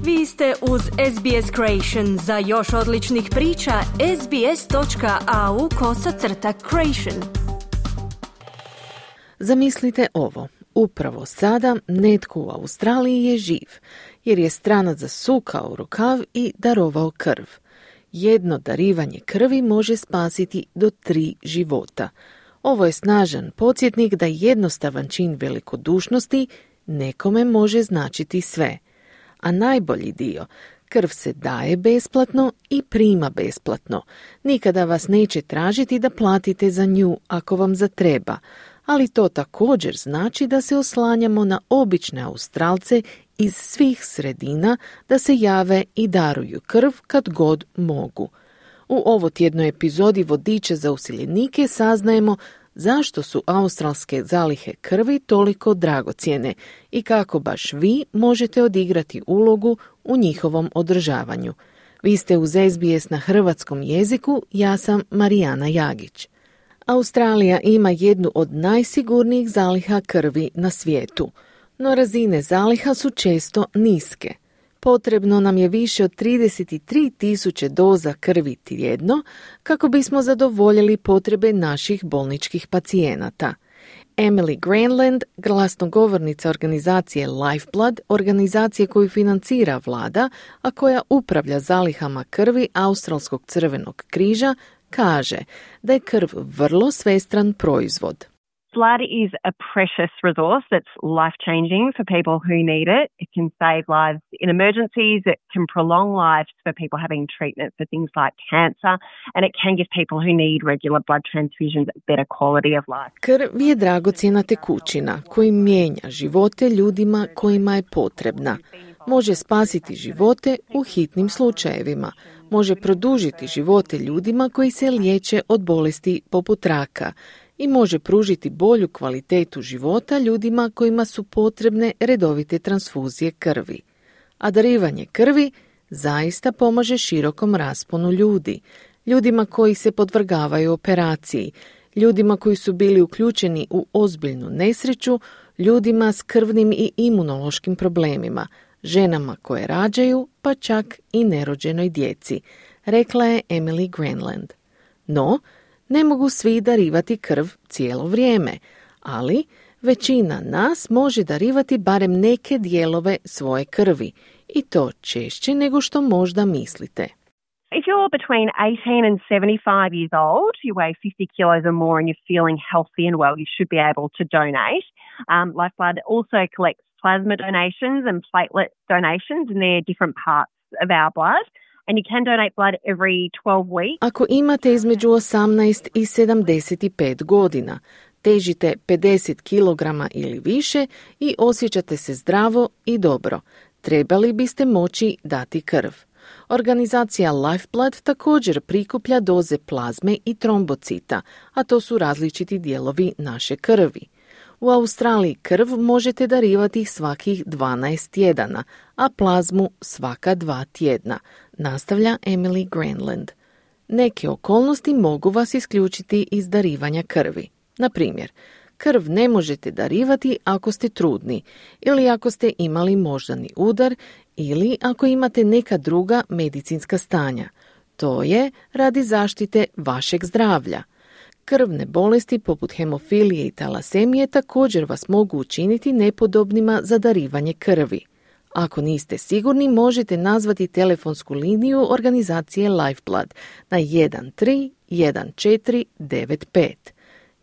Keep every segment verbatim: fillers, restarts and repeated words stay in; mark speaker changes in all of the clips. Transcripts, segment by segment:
Speaker 1: Vi ste uz S B S Creation. Za još odličnih priča, sbs.au kosacrta creation.
Speaker 2: Zamislite ovo. Upravo sada netko u Australiji je živ, jer je stranac zasukao rukav i darovao krv. Jedno darivanje krvi može spasiti do tri života. Ovo je snažan podsjetnik da jednostavan čin velikodušnosti nekome može značiti sve. A najbolji dio, krv se daje besplatno i prima besplatno. Nikada vas neće tražiti da platite za nju ako vam zatreba, ali to također znači da se oslanjamo na obične Australce iz svih sredina da se jave i daruju krv kad god mogu. U ovotjednoj epizodi Vodiča za useljenike saznajemo zašto su australske zalihe krvi toliko dragocjene i kako baš vi možete odigrati ulogu u njihovom održavanju. Vi ste uz S B S na hrvatskom jeziku, ja sam Marijana Jagić. Australija ima jednu od najsigurnijih zaliha krvi na svijetu, no razine zaliha su često niske. Potrebno nam je više od trideset tri tisuće doza krvi tjedno kako bismo zadovoljili potrebe naših bolničkih pacijenata. Emily Granland, glasnogovornica organizacije Lifeblood, organizacije koju financira vlada, a koja upravlja zalihama krvi Australskog crvenog križa, kaže da je krv vrlo svestran proizvod.
Speaker 3: Blood is a precious resource that's life-changing for people who need it. It can save lives in emergencies. It can prolong lives for people having treatment for things like cancer. And it can give people who need regular blood transfusions a better quality of life.
Speaker 2: Krv je dragocjena tekućina koji mijenja živote ljudima kojima je potrebna. Može spasiti živote u hitnim slučajevima. Može produžiti živote ljudima koji se liječe od bolesti poput raka i može pružiti bolju kvalitetu života ljudima kojima su potrebne redovite transfuzije krvi. A darivanje krvi zaista pomaže širokom rasponu ljudi, ljudima koji se podvrgavaju operaciji, ljudima koji su bili uključeni u ozbiljnu nesreću, ljudima s krvnim i imunološkim problemima, ženama koje rađaju, pa čak i nerođenoj djeci, rekla je Emily Granland. No, ne mogu svi darivati krv cijelo vrijeme, ali većina nas može darivati barem neke dijelove svoje krvi i to češće nego što možda mislite.
Speaker 3: If you're between eighteen and seventy-five years old, you weigh fifty kilos or more and you're feeling healthy and well, you should be able to donate. Um, Lifeblood also collects plasma donations and platelet donations, and they're different parts of our blood. And you can donate blood every twelve weeks.
Speaker 2: Ako imate između osamnaest i sedamdeset pet godina, težite pedeset kilograma ili više i osjećate se zdravo i dobro, trebali biste moći dati krv. Organizacija Lifeblood također prikuplja doze plazme i trombocita, a to su različiti dijelovi naše krvi. U Australiji krv možete darivati svakih dvanaest tjedana, a plazmu svaka dva tjedna, nastavlja Emily Granland. Neke okolnosti mogu vas isključiti iz darivanja krvi. Na primjer, krv ne možete darivati ako ste trudni ili ako ste imali moždani udar ili ako imate neka druga medicinska stanja. To je radi zaštite vašeg zdravlja. Krvne bolesti poput hemofilije i talasemije također vas mogu učiniti nepodobnima za darivanje krvi. Ako niste sigurni, možete nazvati telefonsku liniju organizacije Lifeblood na jedan tri jedan četiri devet pet.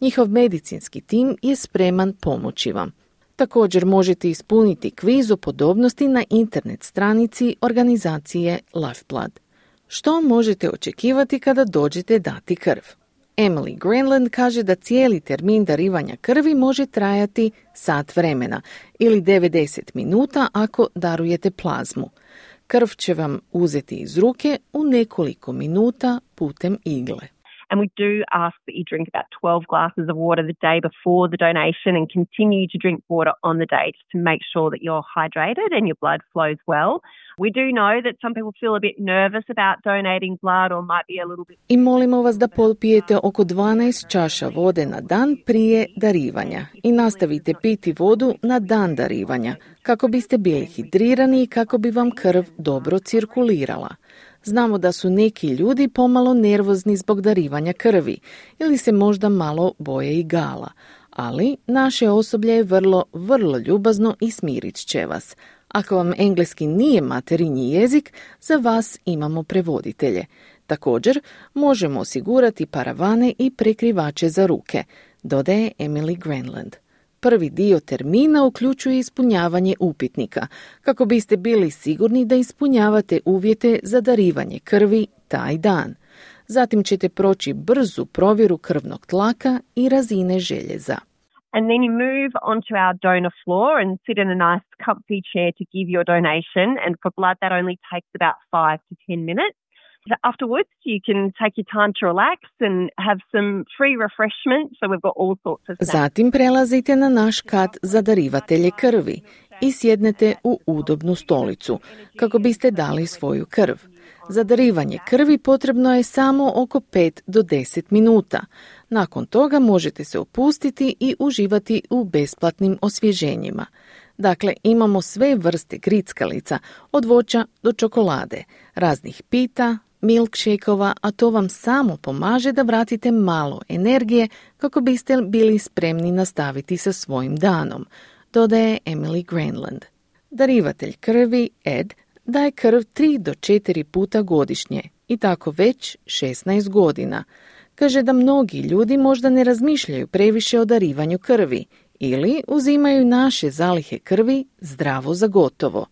Speaker 2: Njihov medicinski tim je spreman pomoći vam. Također možete ispuniti kviz o podobnosti na internet stranici organizacije Lifeblood. Što možete očekivati kada dođete dati krv? Emily Granland kaže da cijeli termin darivanja krvi može trajati sat vremena ili devedeset minuta ako darujete plazmu. Krv će vam uzeti iz ruke u nekoliko minuta putem igle.
Speaker 3: And we do ask that you drink about twelve glasses of water the day before the donation and continue to drink water on the day just to make sure that you're hydrated and your blood flows well. We do know that some people feel a bit nervous about donating blood or might be a little bit...
Speaker 2: I molimo vas da popijete oko dvanaest čaša vode na dan prije darivanja i nastavite piti vodu na dan darivanja kako biste bili hidrirani i kako bi vam krv dobro cirkulirala. Znamo da su neki ljudi pomalo nervozni zbog darivanja krvi ili se možda malo boje igala, ali naše osoblje je vrlo, vrlo ljubazno i smirit će vas. Ako vam engleski nije materinji jezik, za vas imamo prevoditelje. Također, možemo osigurati paravane i prekrivače za ruke, dodaje Emily Granland. Prvi dio termina uključuje ispunjavanje upitnika, kako biste bili sigurni da ispunjavate uvjete za darivanje krvi taj dan. Zatim ćete proći brzu provjeru krvnog tlaka i razine željeza.
Speaker 3: And then you move onto our donor floor and sit in a nice comfy chair to give your donation. And for blood, that only takes about five to ten minutes. Afterwards, you can take your time to relax and have some free refreshments. So we've got all sorts of snacks.
Speaker 2: Zatim prelazite na naš kat za darivatelje krvi i sjednete u udobnu stolicu kako biste dali svoju krv. Za darivanje krvi potrebno je samo oko pet do deset minuta. Nakon toga možete se opustiti i uživati u besplatnim osvježenjima. Dakle, imamo sve vrste grickalica, od voća do čokolade, raznih pita, milkshake-ova, a to vam samo pomaže da vratite malo energije kako biste bili spremni nastaviti sa svojim danom, dodaje Emily Granland. Darivatelj krvi, Ed, daje krv tri do četiri puta godišnje i tako već šesnaest godina. Kaže da mnogi ljudi možda ne razmišljaju previše o darivanju krvi ili uzimaju naše zalihe krvi zdravo za gotovo,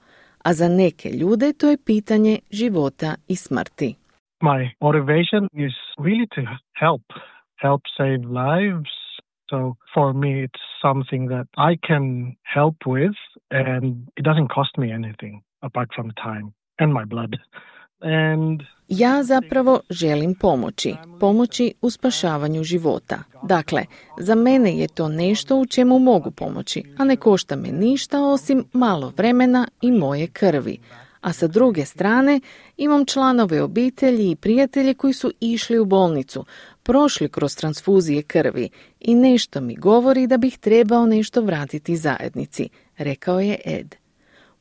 Speaker 2: a za neke ljude to je pitanje života i smrti.
Speaker 4: My motivation is really to help, help save lives. So for me it's something that I can help with and it doesn't cost me anything apart from time and my blood. And
Speaker 2: ja zapravo želim pomoći, pomoći u spašavanju života. Dakle, za mene je to nešto u čemu mogu pomoći, a ne košta me ništa osim malo vremena i moje krvi. A sa druge strane, imam članove obitelji i prijatelje koji su išli u bolnicu, prošli kroz transfuzije krvi i nešto mi govori da bih trebao nešto vratiti zajednici, rekao je Ed.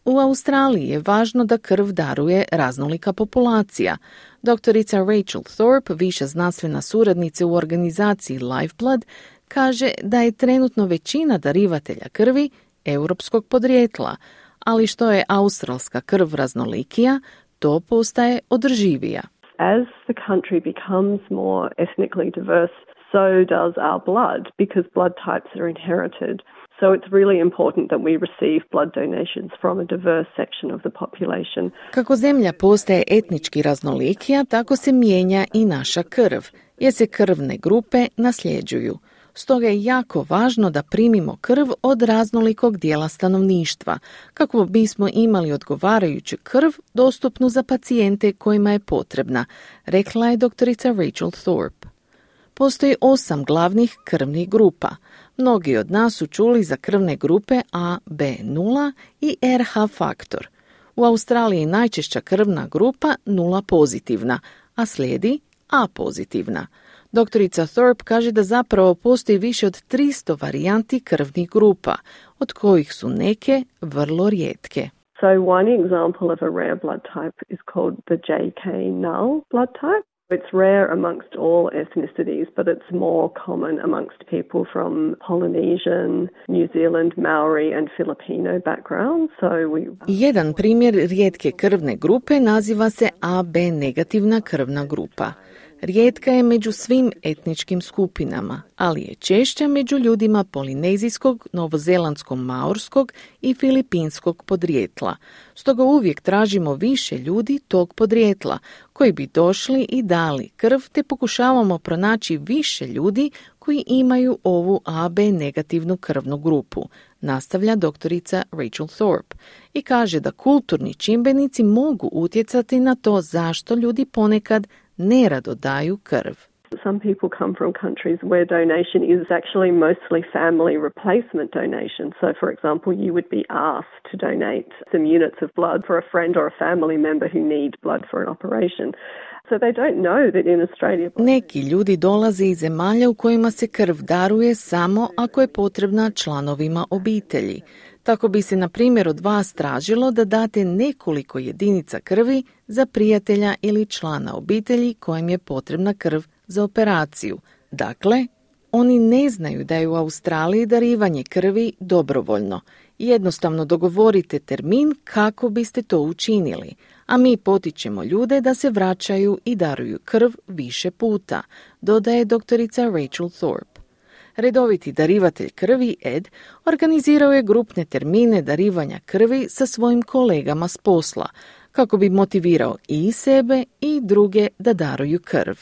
Speaker 2: U Australiji je važno da krv daruje raznolika populacija. Doktorica Rachel Thorpe, viša znanstvena suradnica u organizaciji Lifeblood, kaže da je trenutno većina darivatelja krvi europskog podrijetla, ali što je australska krv raznolikija, to postaje održivija.
Speaker 5: As the country becomes more ethnically diverse, so does our blood, because blood types are inherited. So it's really important that we receive blood donations from a diverse section of the population.
Speaker 2: Kako zemlja postaje etnički raznolikija, tako se mijenja i naša krv, jer se krvne grupe nasljeđuju. Stoga je jako važno da primimo krv od raznolikog dijela stanovništva, kako bismo imali odgovarajuću krv dostupnu za pacijente kojima je potrebna, rekla je doktorica Rachel Thorpe. Postoji osam glavnih krvnih grupa. Mnogi od nas su čuli za krvne grupe A, B nula i R H faktor. U Australiji je najčešća krvna grupa nula pozitivna, a slijedi A pozitivna. Doktorica Thorpe kaže da zapravo postoji više od tristo varijanti krvnih grupa, od kojih su neke vrlo rijetke.
Speaker 5: So one example of a rare blood type is called the J K null blood type. It's rare amongst all ethnicities, but it's more common amongst people from Polynesian, New Zealand, Maori and Filipino backgrounds. So we...
Speaker 2: Jedan primjer rijetke krvne grupe naziva se A B negativna krvna grupa. Rijetka je među svim etničkim skupinama, ali je češća među ljudima polinezijskog, novozelandsko-maorskog i filipinskog podrijetla. Stoga uvijek tražimo više ljudi tog podrijetla koji bi došli i dali krv, te pokušavamo pronaći više ljudi koji imaju ovu A B negativnu krvnu grupu, nastavlja doktorica Rachel Thorpe i kaže da kulturni čimbenici mogu utjecati na to zašto ljudi ponekad nerado daju krv.
Speaker 5: Some people come from countries where donation is actually mostly family replacement donation. So, for example, you would be asked to donate some units of blood for a friend or a family member who need blood for an operation. So they don't know that in Australia...
Speaker 2: Neki ljudi dolaze iz zemalja u kojima se krv daruje samo ako je potrebna članovima obitelji. Tako bi se, na primjer, od vas tražilo da date nekoliko jedinica krvi za prijatelja ili člana obitelji kojem je potrebna krv za operaciju. Dakle, oni ne znaju da je u Australiji darivanje krvi dobrovoljno. Jednostavno dogovorite termin kako biste to učinili, a mi potičemo ljude da se vraćaju i daruju krv više puta, dodaje doktorica Rachel Thorpe. Redoviti darivatelj krvi Ed organizirao je grupne termine darivanja krvi sa svojim kolegama s posla, kako bi motivirao i sebe i druge da daruju krv.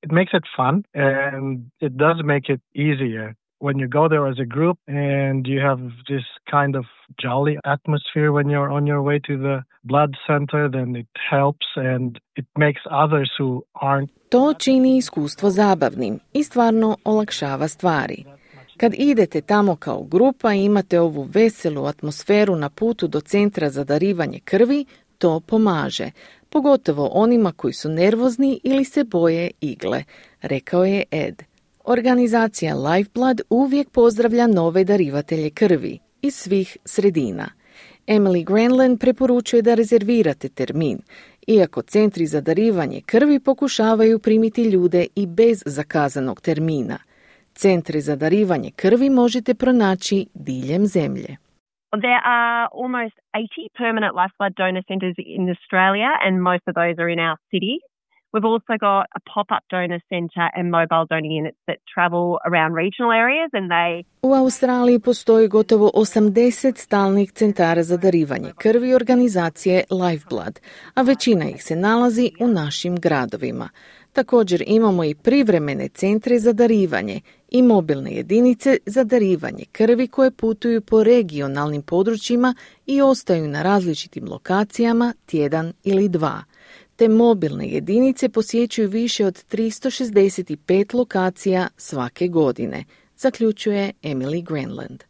Speaker 4: It makes it fun and it does make it easier. When you go there as a group and you have this kind of jolly atmosphere when you're on your way to the blood center, then it helps and it makes others who aren't.
Speaker 2: To čini iskustvo zabavnim i stvarno olakšava stvari. Kad idete tamo kao grupa i imate ovu veselu atmosferu na putu do centra za darivanje krvi, to pomaže, pogotovo onima koji su nervozni ili se boje igle, rekao je Ed. Organizacija Lifeblood uvijek pozdravlja nove darivatelje krvi iz svih sredina. Emily Granlund preporučuje da rezervirate termin, iako centri za darivanje krvi pokušavaju primiti ljude i bez zakazanog termina. Centre za darivanje krvi možete pronaći diljem zemlje.
Speaker 3: There are almost eighty permanent lifeblood donor centres in Australia, and most of those are in our city. We've also got a pop-up donor centre and mobile donor units that travel around regional areas and they...
Speaker 2: U Australiji postoji gotovo osamdeset stalnih centara za darivanje krvi organizacije Lifeblood, a većina ih se nalazi u našim gradovima. Također imamo i privremene centre za darivanje i mobilne jedinice za darivanje krvi koje putuju po regionalnim područjima i ostaju na različitim lokacijama tjedan ili dva. Te mobilne jedinice posjećuju više od tristo šezdeset pet lokacija svake godine, zaključuje Emily Granlund.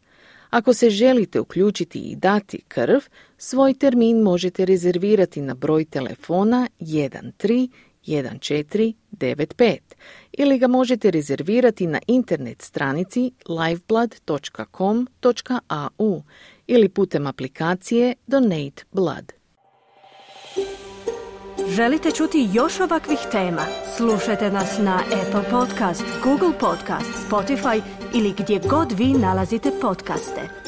Speaker 2: Ako se želite uključiti i dati krv, svoj termin možete rezervirati na broj telefona jedan tri jedan četiri devet pet ili ga možete rezervirati na internet stranici lifeblood dot com dot a u ili putem aplikacije Donate Blood.
Speaker 1: Želite čuti još ovakvih tema? Slušajte nas na Apple Podcast, Google Podcast, Spotify ili gdje god vi nalazite podcaste.